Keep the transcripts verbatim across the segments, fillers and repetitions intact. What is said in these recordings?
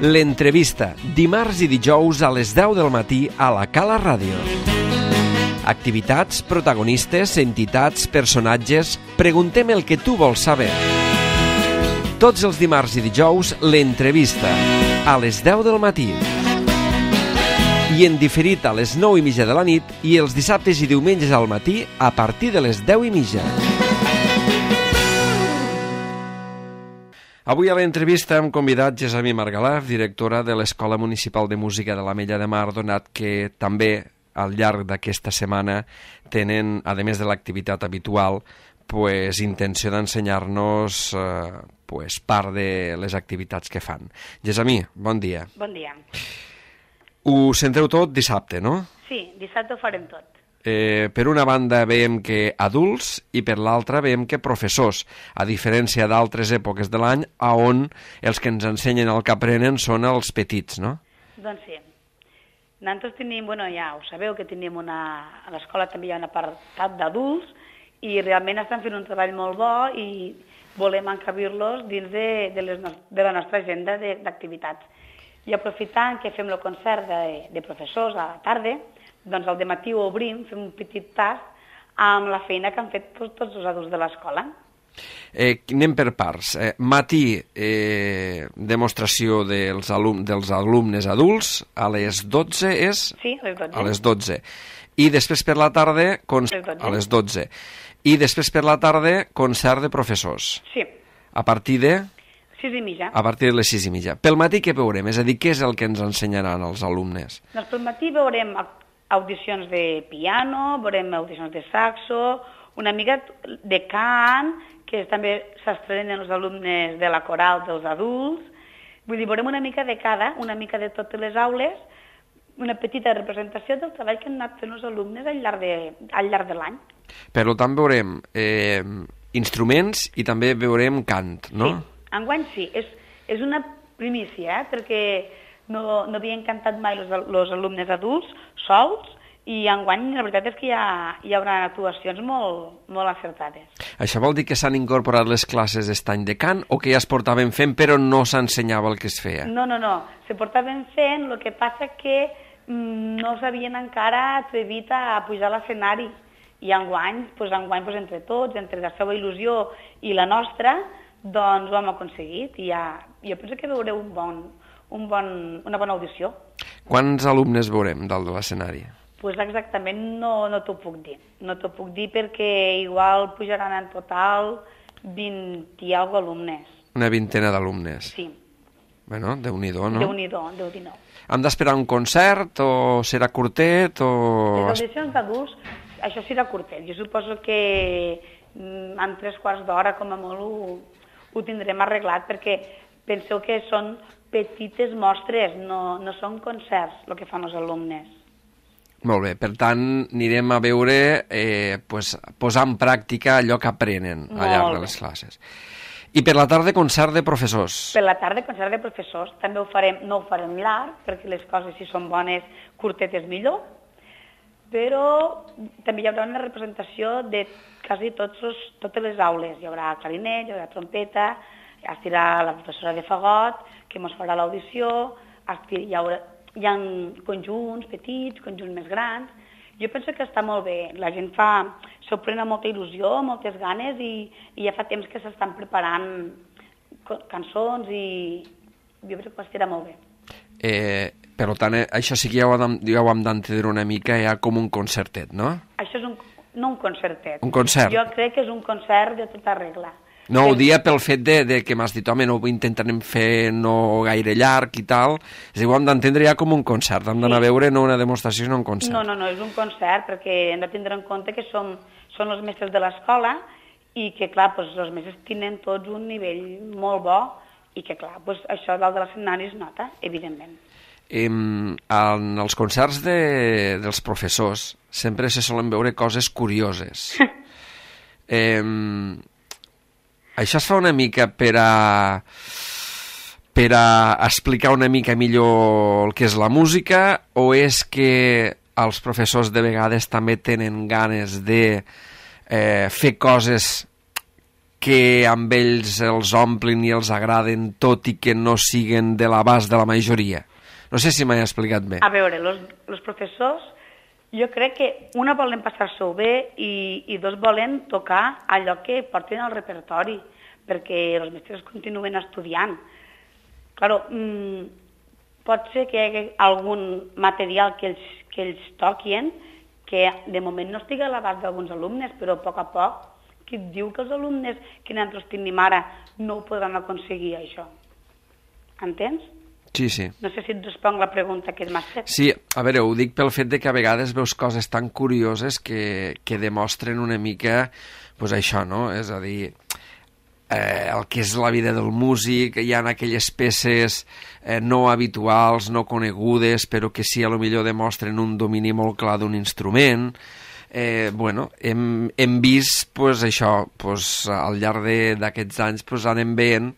L'entrevista, dimarts i dijous a les deu del matí a la Cala Ràdio. Activitats, protagonistes, entitats, personatges... Preguntem el que tu vols saber. Tots els dimarts i dijous, l'entrevista, a les deu del matí. I en diferit a les nou i mitja de la nit i els dissabtes i diumenges al matí a partir de les deu i mitja. Avui a l'entrevista hem convidat Gessamí Margalef, directora de l'Escola Municipal de Música de l'Ametlla de Mar, donat que també al llarg d'aquesta setmana tenen, a més de l'activitat habitual, pues, intenció d'ensenyar-nos eh, pues, part de les activitats que fan. Gessamí, bon dia. Bon dia. Ho centreu tot dissabte, no? Sí, dissabte ho farem tot. Eh, per una banda veiem que adults i per l'altra veiem que professors, a diferència d'altres èpoques de l'any on els que ens ensenyen el que aprenen són els petits, no? Doncs sí. Nosaltres tenim, bueno, ja ho sabeu, que tenim una... A l'escola també hi ha un apartat d'adults i realment estan fent un treball molt bo i volem encabir-los dins de, de, les, de la nostra agenda d'activitats. I aprofitant que fem el concert de, de professors a la tarda, doncs al dematí ho obrim, fem un petit tast amb la feina que han fet tots, tots els adults de l'escola. Eh, anem per parts. Eh, matí, eh, demostració dels, alum dels alumnes adults, a les dotze és? Sí, a les dotze. A les dotze. I després per la tarda, con... a les dotze. I després per la tarda, concert de professors. Sí. A partir de? sis i mitja. A partir de les sis i mitja. Pel matí què veurem? És a dir, què és el que ens ensenyaran els alumnes? Doncs pel matí veurem audicions de piano, veurem audicions de saxo, una mica de cant, que també s'estrenen els alumnes de la coral dels adults. Vull dir, veurem una mica de cada, una mica de totes les aules, una petita representació del treball que han anat fent els alumnes al llarg de, al llarg de l'any. Per tant, veurem eh, instruments i també veurem cant, no? Sí, enguany sí. És, és una primícia, eh? Perquè no, no havien cantat mai els alumnes adults sols i enguany la veritat és que hi, ha, hi haurà actuacions molt, molt acertades. Això vol dir que s'han incorporat les classes d'estany de cant o que ja es portaven fent però no s'ensenyava el que es feia? No, no, no. Se portaven fent, el que passa que mm, no s'havien encara atrevit a pujar a l'escenari i enguany, pues, enguany pues, entre tots, entre la seva il·lusió i la nostra, doncs ho hem aconseguit i ja, jo penso que veureu un bon, un bon, una bona audició. Quants alumnes veurem dalt de l'escenari? Pues exactament no, no t'ho puc dir. No t'ho puc dir perquè igual pujaran en total vint i alguna alumnes. Una vintena d'alumnes? Sí. Bueno, Déu-n'hi-do, no? Déu-n'hi-do, Déu-n'hi-do. Hem d'esperar un concert o serà curtet o... Les audicions d'adults, això serà curtet. Jo suposo que en tres quarts d'hora com a molt ho, ho tindrem arreglat perquè penseu que són petites mostres, no, no són concerts el que fan els alumnes. Molt bé, per tant, anirem a veure, eh, pues, posar en pràctica allò que aprenen al llarg de les classes. I per la tarda, concert de professors. Per la tarda, concert de professors. També ho farem, no ho farem llarg, perquè les coses, si són bones, curtetes millor, però també hi haurà una representació de quasi tots els, totes les aules. Hi haurà clarinet, hi haurà trompeta, estirà la professora de fagot, que ens farà l'audició, hi haurà... Hi ha conjunts petits, conjunts més grans. Jo penso que està molt bé. La gent fa, s'ho pren amb molta il·lusió, moltes ganes i, i ja fa temps que s'estan preparant cançons i jo crec que estarà molt bé. Eh, per tant, eh, això sí que ja ho, ja ho hem d'entendre una mica ja com un concertet, no? Això és un, no un concertet. Un concert. Jo crec que és un concert de tota regla. No, ho dia pel fet de, de que m'has dit, home, no ho intentarem fer no gaire llarg i tal. És a dir, ho hem d'entendre ja com un concert, hem d'anar sí. a veure no una demostració, sinó un concert. No, no, no, és un concert, perquè hem de tindre en compte que som, són els mestres de l'escola i que, clar, doncs, els mestres tenen tots un nivell molt bo i que, clar, doncs, això dalt de l'escenari es nota, evidentment. Eh, en els concerts de, dels professors sempre se solen veure coses curioses. eh... Això es fa una mica per a, per a explicar una mica millor el que és la música o és que els professors de vegades també tenen ganes de eh, fer coses que amb ells els omplin i els agraden, tot i que no siguen de l'abast de la majoria? No sé si m'he explicat bé. A veure, els professors, jo crec que una volen passar-s'ho bé i, i dos volen tocar allò que porten al repertori, perquè els mestres continuen estudiant. Claro, mmm, pot ser que hi hagi algun material que ells, que ells toquin que de moment no estigui a l'abast d'alguns alumnes, però a poc a poc, qui et diu que els alumnes que nosaltres tenim ara no ho podran aconseguir, això? Entens? Sí, sí. No sé si et responc la pregunta que m'has fet. Sí, a veure, ho dic pel fet de que a vegades veus coses tan curioses que, que demostren una mica, pues això, no? És a dir, eh, el que és la vida del músic, hi ha aquelles peces eh, no habituals, no conegudes, però que sí, a lo millor demostren un domini molt clar d'un instrument. Eh, bueno, hem, hem vist pues, això, pues, al llarg d'aquests anys pues, anem veient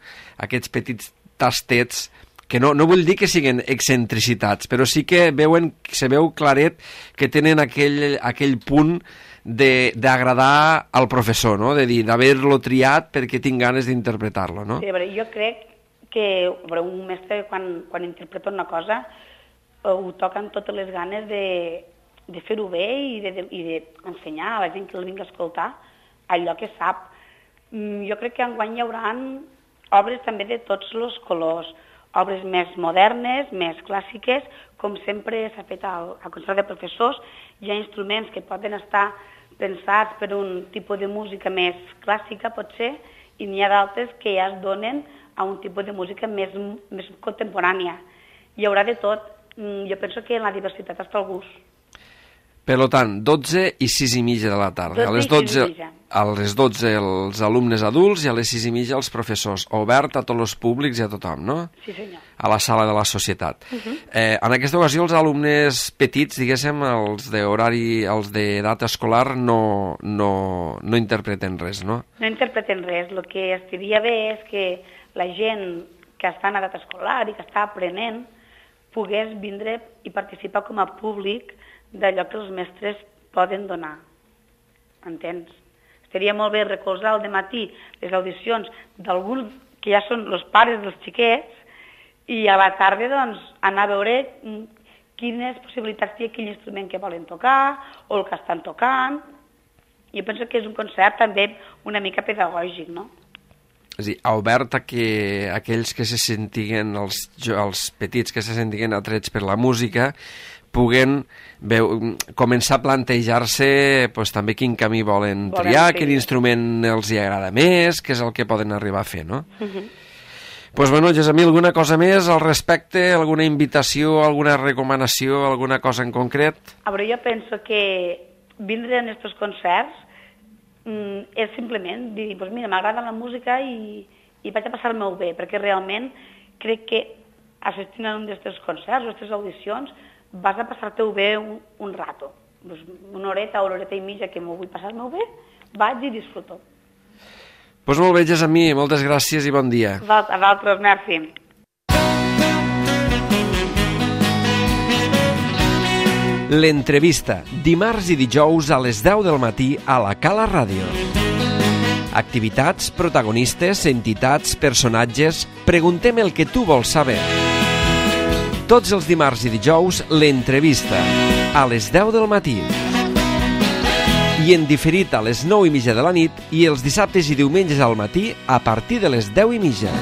aquests petits tastets que no, no vull dir que siguin excentricitats, però sí que veuen, se veu claret que tenen aquell, aquell punt d'agradar al professor, no? De dir, d'haver-lo triat perquè tinc ganes d'interpretar-lo, no? Sí, a veure, jo crec que veure, un mestre quan, quan interpreta una cosa ho toca amb totes les ganes de de fer-ho bé i d'ensenyar de, de a la gent que el vingui a escoltar allò que sap. Jo crec que enguany hi haurà obres també de tots els colors, obres més modernes, més clàssiques, com sempre s'ha fet al, al concert de professors. Hi ha instruments que poden estar pensats per un tipus de música més clàssica, potser, i n'hi ha d'altres que ja es donen a un tipus de música més, més contemporània. Hi haurà de tot. Jo penso que en la diversitat està el gust. Per tant, dotze i sis i mitja de la tarda. A les dotze, a les dotze els alumnes adults i a les sis i mitja els professors. Obert a tots els públics i a tothom, no? Sí, senyor. A la sala de la societat. Uh-huh. eh, en aquesta ocasió els alumnes petits, diguéssim, els d'horari, els d'edat escolar, no, no, no interpreten res, no? No interpreten res. El que estaria bé és que la gent que està en edat escolar i que està aprenent pogués vindre i participar com a públic d'allò que els mestres poden donar. Entens? Estaria molt bé recolzar al dematí les audicions d'alguns que ja són els pares dels xiquets i a la tarda doncs, anar a veure quines possibilitats té aquell instrument que volen tocar o el que estan tocant. Jo penso que és un concert també una mica pedagògic, no? És a dir, ha obert a que aquells que se sentiguen, els, els petits que se sentiguen atrets per la música, puguen veu, començar a plantejar-se pues, també quin camí volen, volen triar, fer. Quin instrument els hi agrada més, què és el que poden arribar a fer, no? Uh -huh. Pues bueno, Gessamí, alguna cosa més al respecte? Alguna invitació, alguna recomanació, alguna cosa en concret? A veure, jo penso que vindre en aquests concerts mm, és simplement dir, pues mira, m'agrada la música i, i vaig a passar-me-ho bé, perquè realment crec que assistint a un d'aquests concerts o aquestes audicions vas a passar-te-ho bé un, un rato. Pues una horeta o una horeta i mitja que m'ho vull passar-me-ho bé, vaig i disfruto. Doncs pues molt bé, Gessamí, moltes gràcies i bon dia. A vosaltres, merci. L'entrevista, dimarts i dijous a les deu del matí a la Cala Ràdio. Activitats, protagonistes, entitats, personatges... Preguntem el que tu vols saber. Tots els dimarts i dijous, l'entrevista, a les deu del matí. I en diferit a les nou i mitja de la nit i els dissabtes i diumenges al matí a partir de les deu i mitja.